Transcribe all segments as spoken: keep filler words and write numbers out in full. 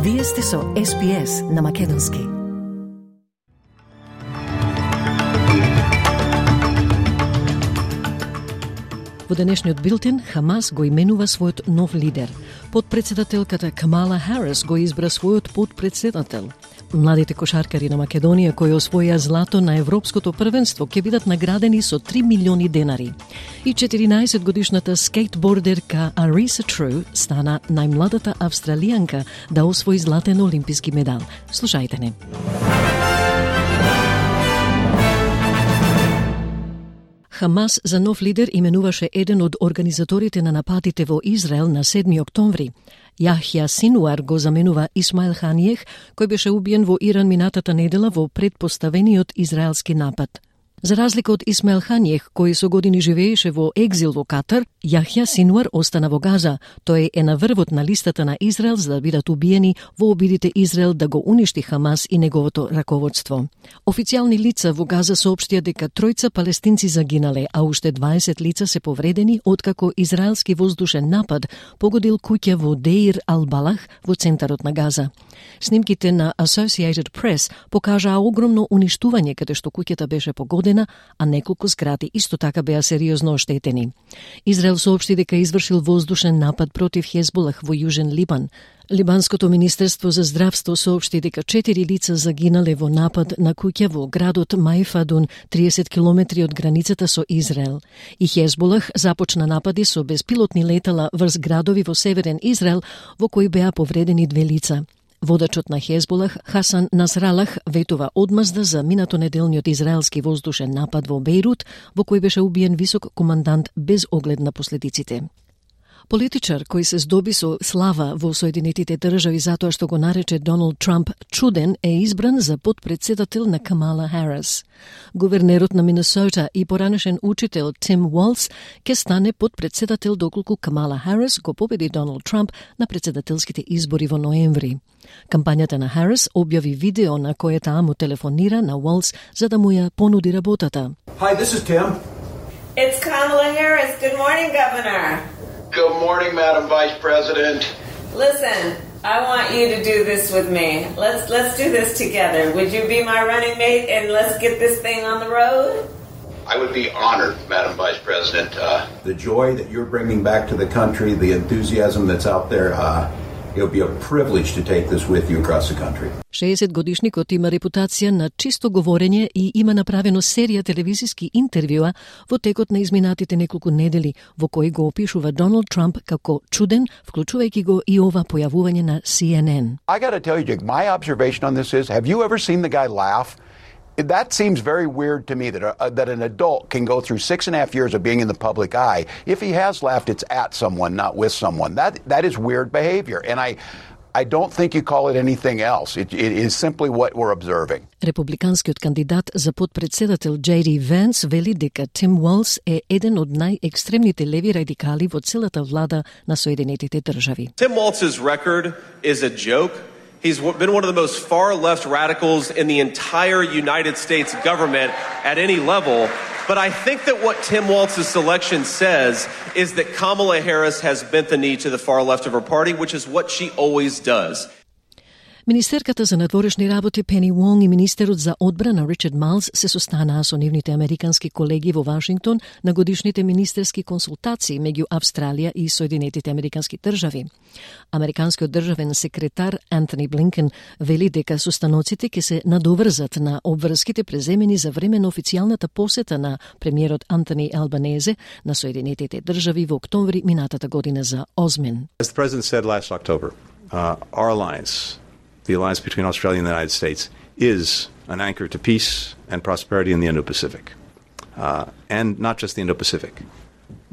Вие сте со Ес Би Ес на Македонски. Во денешниот билтен, Хамас го именува својот нов лидер. Подпредседателката Камала Харис го избра својот подпредседател. Младите кошаркари на Македонија кои освоија злато на Европското првенство ќе бидат наградени со три милиони денари. И четиринаесетгодишната скейтбордерка Ариса Тру стана најмладата австралијанка да освои златен олимписки медал. Слушајте не. Хамас за нов лидер именуваше еден од организаторите на нападите во Израел на седми октомври. Јахја Синуар го заменува Исмаил Ханијех, кој беше убиен во Иран минатата недела во предпоставениот израелски напад. За разлика од Исмаил Ханијех, кој со години живееше во екзил во Катар, Јахја Синуар остана во Газа. Тој е на врвот на листата на Израел за да бидат убиени во обидите Израел да го уништи Хамас и неговото раководство. Официјални лица во Газа соопштија дека тројца палестинци загинале, а уште дваесет лица се повредени откако израелски воздушен напад погодил куќа во Деир Ал-Балах во центарот на Газа. Снимките на Associated Press покажаа огромно уништување каде што куќата беше погодена, а неколку згради исто така беа сериозно оштетени. Израел соопшти дека извршил воздушен напад против Хезболах во Јужен Либан. Либанското министерство за здравство соопшти дека четири лица загинале во напад на куќа во градот Мајфадун, триесет километри од границата со Израел. И Хезболах започна напади со безпилотни летала врз градови во северен Израел, во кои беа повредени две лица. Водачот на Хезболах, Хасан Насралах, ветува одмазда за минатонеделниот израелски воздушен напад во Бејрут, во кој беше убиен висок командант без оглед на последиците. Политичар кој се здоби со слава во Соединетите држави затоа што го нарече Доналд Трамп чуден е избран за подпредседател на Камала Харис. Гувернерот на Минесота и поранешен учител Тим Уолц ќе стане подпредседател доколку Камала Харис го победи Доналд Трамп на председателските избори во ноември. Кампањата на Харис објави видео на кое таа му телефонира на Уолц за да му ја понуди работата. Hi, this is Tim. It's Kamala Harris. Good morning, Governor. Good morning, Madam Vice President. Listen, I want you to do this with me. Let's let's do this together. Would you be my running mate and let's get this thing on the road? I would be honored, Madam Vice President. Uh, The joy that you're bringing back to the country, the enthusiasm that's out there, uh, it'll be a privilege to take this with you across the country. шеесетгодишникот има репутација на чисто говорење и има направено серија телевизиски интервјуа во текот на изминатите неколку недели, во кои го опишува Доналд Трамп како чуден, вклучувајќи го и ова појавување на Си Ен Ен. I got to tell you, Jake, my observation on this is, have you ever seen the guy laugh? That seems very weird to me that a, that an adult can go through six and a half years of being in the public eye. If he has laughed, it's at someone, not with someone. That that is weird behavior, and I I don't think you call it anything else. It, it is simply what we're observing. Републиканскиот кандидат за подпредседател Джей Ди Венс вели дека Тим Уолц е еден од најекстремните леви радикали во целата влада на Соединетите држави. Tim Walz's record is a joke. He's been one of the most far-left radicals in the entire United States government at any level. But I think that what Tim Walz's selection says is that Kamala Harris has bent the knee to the far left of her party, which is what she always does. Министерката за надворешни работи Пени Вонг и министерот за одбрана Ричард Малс се состанаа со нивните американски колеги во Вашингтон на годишните министерски консултации меѓу Австралија и Соединетите американски држави. Американскиот државен секретар Антони Блинкен вели дека состаноците ќе се надоврзат на обврските преземени за време на официјалната посета на премиерот Антони Албанезе на Соединетите држави во октомври минатата година за Озмен. As the President said last October, uh, our alliance, the alliance between Australia and the United States, is an anchor to peace and prosperity in the Indo-Pacific. Uh, and not just the Indo-Pacific,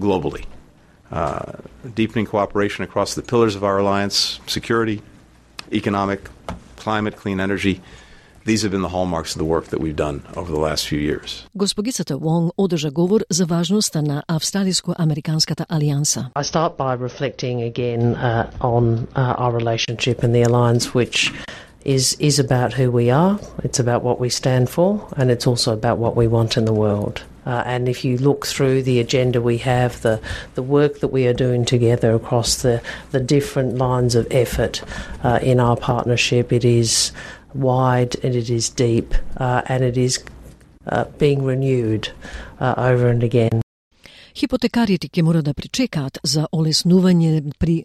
globally. Uh, deepening cooperation across the pillars of our alliance, security, economic, climate, clean energy. These have been the hallmarks of the work that we've done over the last few years. Госпогицата Вонг одржа говор за важноста на австралиско-американската алијанса. I start by reflecting again uh, on uh, our relationship and the alliance which is is about who we are, it's about what we stand for, and it's also about what we want in the world. Uh, and if you look through the agenda we have, the, the work that we are doing together across the, the different lines of effort uh, in our partnership, it is wide and it is deep uh, and it is uh, being renewed uh, over and again. Хипотекарите ќе мора да причекаат за олеснување при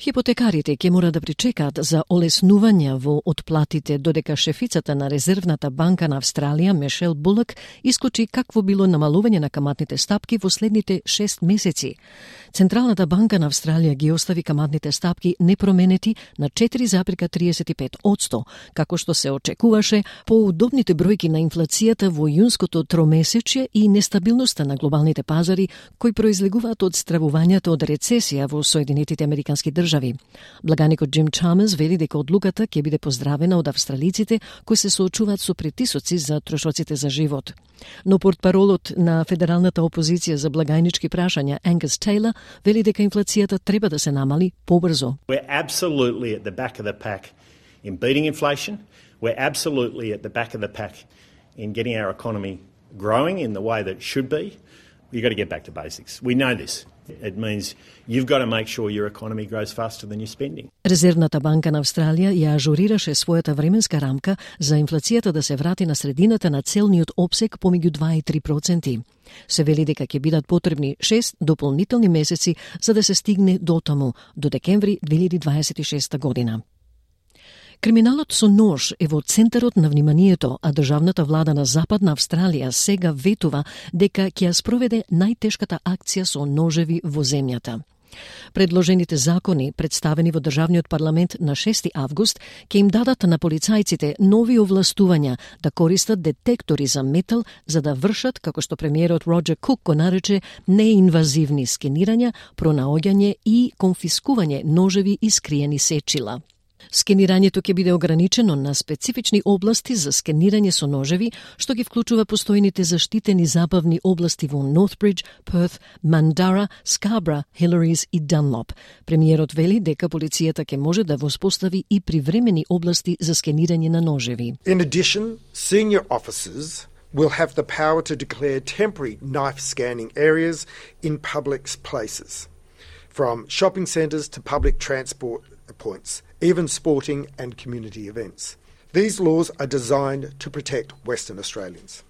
Хипотекарите ќе мора да причекаат за олеснување во отплатите додека шефицата на Резервната банка на Австралија Мишел Булак исклучи какво било намалување на каматните стапки во следните шест месеци. Централната банка на Австралија ги остави каматните стапки непроменети на четири запирка триесет и пет одсто, како што се очекуваше по удобните бројки на инфлацијата во јунското тромесечје и нестабилноста на глобалните пазари кои произлегуваат од стравувањето од рецесија во Соединетите Американски држави. Благаникот Джим Чамерс вели дека одлуката ќе биде поздравена од австралиците кои се соочуваат со притисоци за трошоците за живот. Но портпаролот на федералната опозиција за благајнички прашања Ангус Тейлор вели дека инфлацијата треба да се намали побрзо. We're absolutely at the back of the pack in beating inflation. We're absolutely at the back of the pack in getting our economy growing in the way that it should be. You've got to get back to basics. We know this. It means you've got to make sure your economy grows faster than your spending. Резервната банка на Австралија ја ажурираше својата временска рамка за инфлацијата да се врати на средината на целниот опсек помеѓу два и три проценти. Се вели дека ќе бидат потребни шест дополнителни месеци за да се стигне до таму, до декември две илјади дваесет и шеста година. Криминалот со нож е во центарот на вниманието, а државната влада на Западна Австралија сега ветува дека ќе ја спроведе најтешката акција со ножеви во земјата. Предложените закони, представени во Државниот парламент на шести август, ќе им дадат на полицајците нови овластувања да користат детектори за метал за да вршат, како што премиерот Роджер Кук го нарече, неинвазивни скенирања, пронаоѓање и конфискување ножеви и скриени сечила. Скенирањето ќе биде ограничено на специфични области за скенирање со ножеви, што ги вклучува постојните заштитени забавни области во Нортбридж, Перth, Mandurah, Scarborough, Hillary и Dunlop. Премиерот вели дека полицијата ќе може да воспостави и привремени области за скенирање на ножеви. In addition, senior officers will have the power to declare temporary knife scanning areas in public places, from shopping centres to public transport points, even sporting and community events. These laws are designed to protect Western Australians.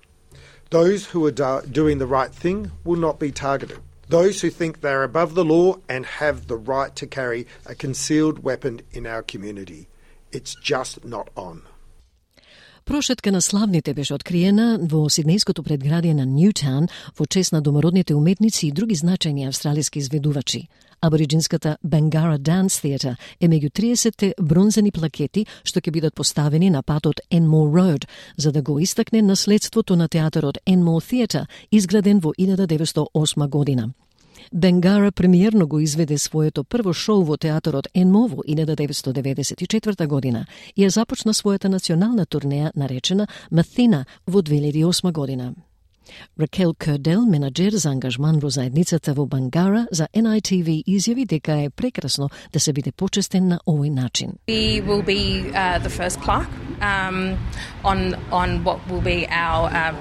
Those who are do- doing the right thing will not be targeted. Those who think they're above the law and have the right to carry a concealed weapon in our community. It's just not on. Прошетка на славните беше откриена во сиднејското предградие на Ньютаун во чест на домородните уметници и други значајни австралиски изведувачи. Абориджинската Bangarra Dance Theatre е меѓу триесет бронзени плакети што ќе бидат поставени на патот Enmore Road за да го истакне наследството на театарот Enmore Theatre, изграден во илјада деветстотини и осма година. Bangarra премиерно го изведе своето прво шоу во театарот Enmore во илјада деветстотини деветдесет и четврта година и ја започна својата национална турнеја наречена Mathena во две илјади и осма година. Ракел Кердел, менаџер за ангажман во заедницата во Bangarra, за Ен Ај Ти Ви изјави дека е прекрасно да се биде почестен на овој начин. We will be uh, the first plaque um, on on what will be our uh,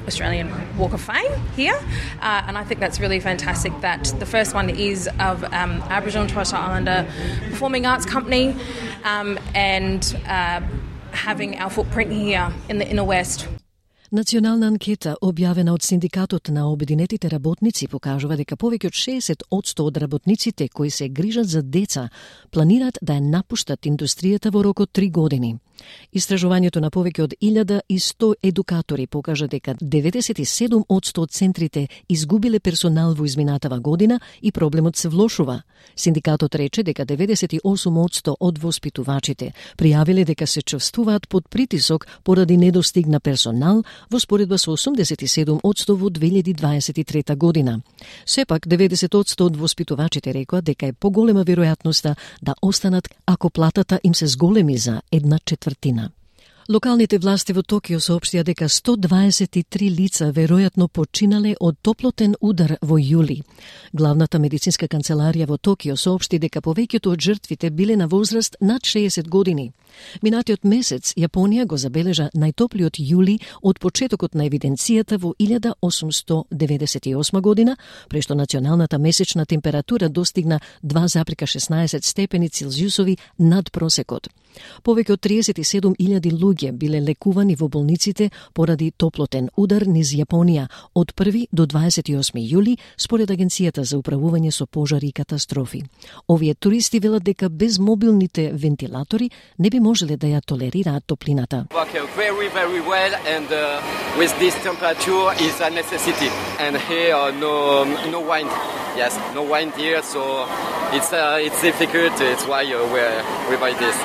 Australian Walk of Fame here, uh, and I think that's really fantastic that the first one is of um, Aboriginal and Torres Strait Islander Performing Arts Company um, and uh, having our footprint here in the inner west. Национална анкета објавена од Синдикатот на обединетите работници покажува дека повеќе од шеесет одсто од работниците кои се грижат за деца планираат да ја напуштат индустријата во рок од три години. Истражувањето на повеќе од илјада и сто едукатори покажа дека деветдесет и седум одсто од центрите изгубиле персонал во изминатава година и проблемот се влошува. Синдикатот рече дека деветдесет и осум одсто од воспитувачите пријавиле дека се чувствуваат под притисок поради недостиг на персонал во споредба со осумдесет и седум одсто во две илјади дваесет и трета година. Сепак, деветдесет одсто од воспитувачите рекоа дека е поголема веројатноста да останат ако платата им се зголеми за една четвртина. Локалните власти во Токио соопштија дека сто дваесет и три лица веројатно починале од топлотен удар во јули. Главната медицинска канцеларија во Токио соопшти дека повеќето од жртвите биле на возраст над шеесет години. Минатиот месец Јапонија го забележа најтоплиот јули од почетокот на евиденцијата во илјада осумстотини деветдесет и осма година, прешто националната месечна температура достигна два зарез шеснаесет степени Целзиусови над просекот. Повеќе од триесет и седум илјади луѓе биле лекувани во болниците поради топлотен удар низ Јапонија од први до дваесет и осми јули, според Агенцијата за управување со пожари и катастрофи. Овие туристи велат дека без мобилните вентилатори не би можеле да ја толерираат топлината. Very, very well, and uh, with this temperature is a necessity. And here, uh, no, no wind. Yes, no wind here, so it's uh, it's difficult. It's why uh, we we buy this.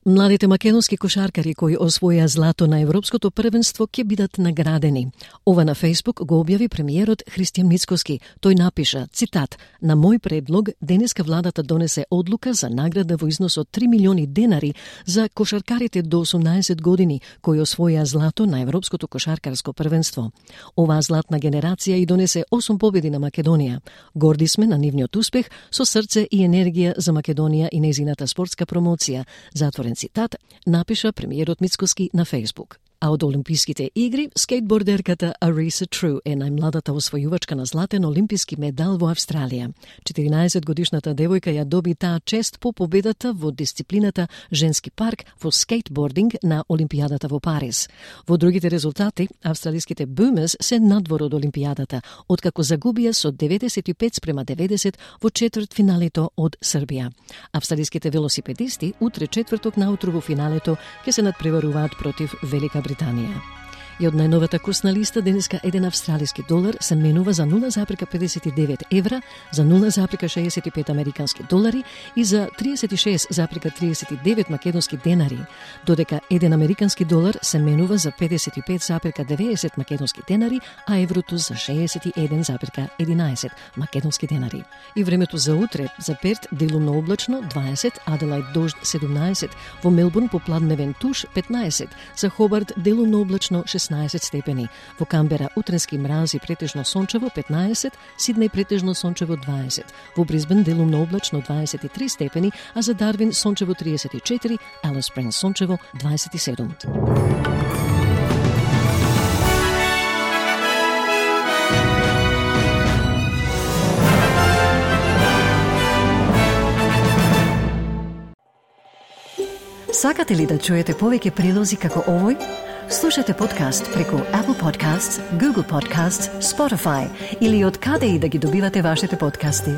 Младите македонски кошаркари кои освоја злато на Европското првенство ќе бидат наградени. Ова на Фејсбук го објави премиерот Христијан Мицкоски. Тој напиша, цитат: "На мој предлог, денеска владата донесе одлука за награда во износ од три милиони денари за кошаркарите до осумнаесет години кои освоја злато на Европското кошаркарско првенство. Оваа златна генерација и донесе осум победи на Македонија. Горди сме на нивниот успех, со срце и енергија за Македонија и незината спортска промоција." Затворен цитат, напиша премиерот Мицкоски на Фејсбук. А од Олимписките игри, скейтбордерката Arisa True е најмладата освојувачка на златен олимписки медал во Австралија. четиринаесет годишната девојка ја доби таа чест по победата во дисциплината женски парк во скейтбординг на Олимпијадата во Париз. Во другите резултати, австралиските Boomers се надвор од Олимпијадата, откако загубија со деветдесет и пет спрема деветдесет во четвртфиналето од Србија. Австралиските велосипедисти утре четврток наутро во финалето ќе се надпреваруваат против Велика Британија. Британија. И од најновата курсна листа денеска еден австралиски долар се менува за нула зарез педесет и девет евра, за нула зарез шеесет и пет американски долари и за триесет и шест зарез триесет и девет македонски денари, додека еден американски долар се менува за педесет и пет зарез деветдесет македонски денари, а еврото за шеесет и еден зарез единаесет македонски денари. И времето за утре: за Перт делумно облачно дваесет, Аделајд дожд седумнаесет, во Мелбурн попладневен туш петнаесет, за Хобарт делумно облачно шеснаесет степени, во Камбера утренски мраз и претежно сончево петнаесет, Сиднеј претежно сончево дваесет, во Брисбен делумно облачно дваесет и три степени, а за Дарвин сончево тридесет и четири, Алис Спрингс сончево дваесет и седум. Сакате ли да чуете повеќе прилози како овој? Слушате подкаст преку Apple Podcasts, Google Podcasts, Spotify или од каде и да ги добивате вашите подкасти.